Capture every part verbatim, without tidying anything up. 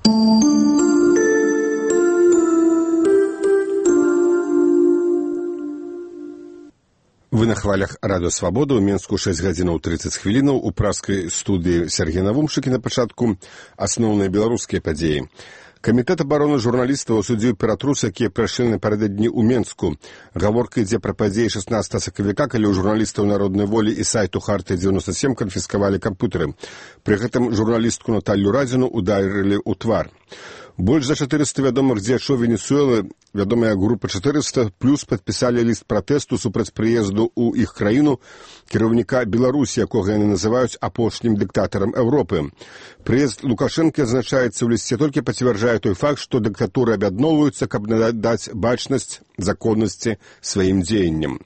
Вы на хвалях радыё Свабода, у Менску шэсць гадзінаў трыццаць хвілінаў, у праскай студыі Сергей Навумшыкі на пачатку асноўныя беларускія падзеі. Камітэт абароны журналістаў асудзіў ператрус, якія прайшлі напярэдадні ў Менску. Гаворка ідзе пра падзеі шаснаццатага сакавіка, калі ў журналістаў народнай волі і сайту Харты дзевяносто сем канфіскавалі камп'ютары. Пры гэтым журналістку Наталью Радзіну ударылі ў твар. Больш за чатырыста вядомых дзеячоў Венесуэлы, вядомая група чатырыста, плюс падпісалі ліст пратэсту супраць прыезду ў іх краіну кіраўніка Беларусі, якога яны называюць апошнім дыктатарам Еўропы. Прыезд Лукашэнкі адзначаецца ў лісце, толькі пацвярджае той факт, што дыктатуры аб'ядноўваюцца, каб надаць бачнасць законнасці сваім дзеянням.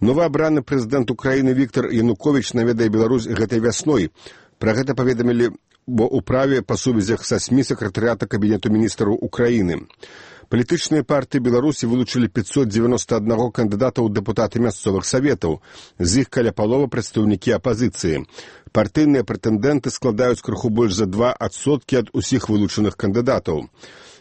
Новаабраны прэзідэнт Украіны Віктор Януковіч наведае Беларусь гэтай вясной. Пра гэта паведамілі бо ў праве па сувязях са СМІ сакратарыята Кабінету міністраў Украіны. Палітычныя партыі Беларусі вылучылі пятьсот девяносто один кандыдата ў дэпутаты мясцовых саветаў. З іх каля палова прадстаўнікі апазіцыі. Партыйныя прэтэндэнты складаюць крыху больш за два адсоткі ад усіх вылучаных кандыдатаў.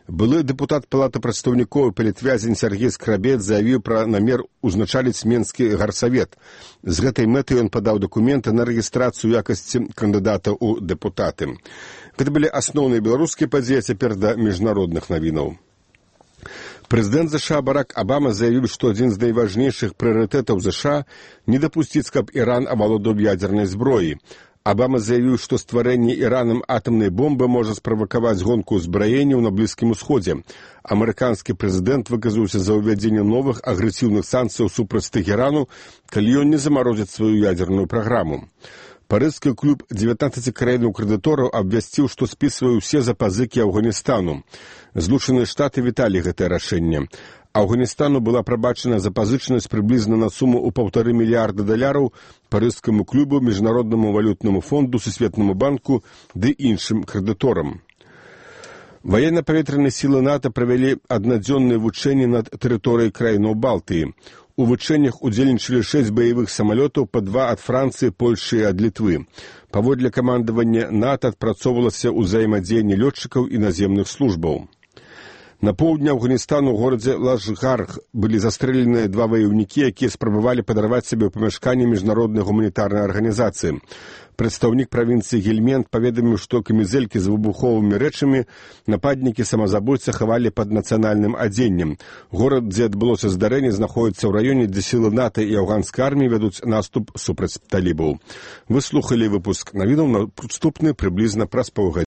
Былы дэпутат Палаты прадстаўнікоў і палітвязень Сергей Скрабец заявіў пра намер узначаліць Менскі гарсавет. З гэтай мэтай ён падаў дакументы на рэгістрацыю якасці кандыдата ў дэпутаты. Гэта былі асноўныя беларускія падзеі, а цяпер да міжнародных навінаў. Прэзідэнт ЗША Барак Абама заявіў, што адзін з найважнейшых прыярытэтаў ЗША не дапусціць, каб Іран авалодаў ядзернай зброі. Абама заявіў, што стварэнне Іранам атамнай бомбы можа справакаваць гонку ўзбраенняў на Блізкім Усходзе. Амерыканскі прэзідэнт выказаўся за ўвядзенне новых агрэсіўных санкцыяў супраць Тэхерану, калі ён не замарозіць сваю ядзерную праграму. Парыжскі клуб дзевятнаццаці краінаў-крэдытораў абвясціў, што спісвае ўсе запазыкі Афганістану. Злучаныя Штаты віталі гэтае рашэнне. Афганістану была прабачана запазычанасць прыблізна на суму ў паўтары мільярда даляраў Парыжскаму клубу, Міжнароднаму валютнаму фонду, Сусветнаму банку ды іншым крэдыторам. Ваенна-паветраныя сілы НАТО правялі аднадзённыя вучэнні над тэрыторыяй краінаў Балтыі. У вучэннях удзельнічалі шэсць баявых самалётаў, па два ад Францыі, Польшы і ад Літвы. Паводле камандавання НАТО адпрацоўвалася ўзаемадзеянне лётчыкаў і наземных службаў. На поўдні Афганістану ў горадзе Лашгарх былі застрэленыя два ваяўнікі, якія спрабавалі падарваць сабе ў памяшканні міжнароднай гуманітарнай арганізацыі. Прадстаўнік правінцыі Гельмент паведаміў, што камізэлькі з выбуховымі рэчамі нападнікі самазабойцы хавалі пад нацыянальным адзеннем. Горад, дзе адбылося здарэнне, знаходіцца ў раёне, дзе сілы НАТО і афганскай арміі вядуць наступ супраць талібаў. Вы слухалі выпуск навінаў, наступны прыблізна праз паўгадзіны.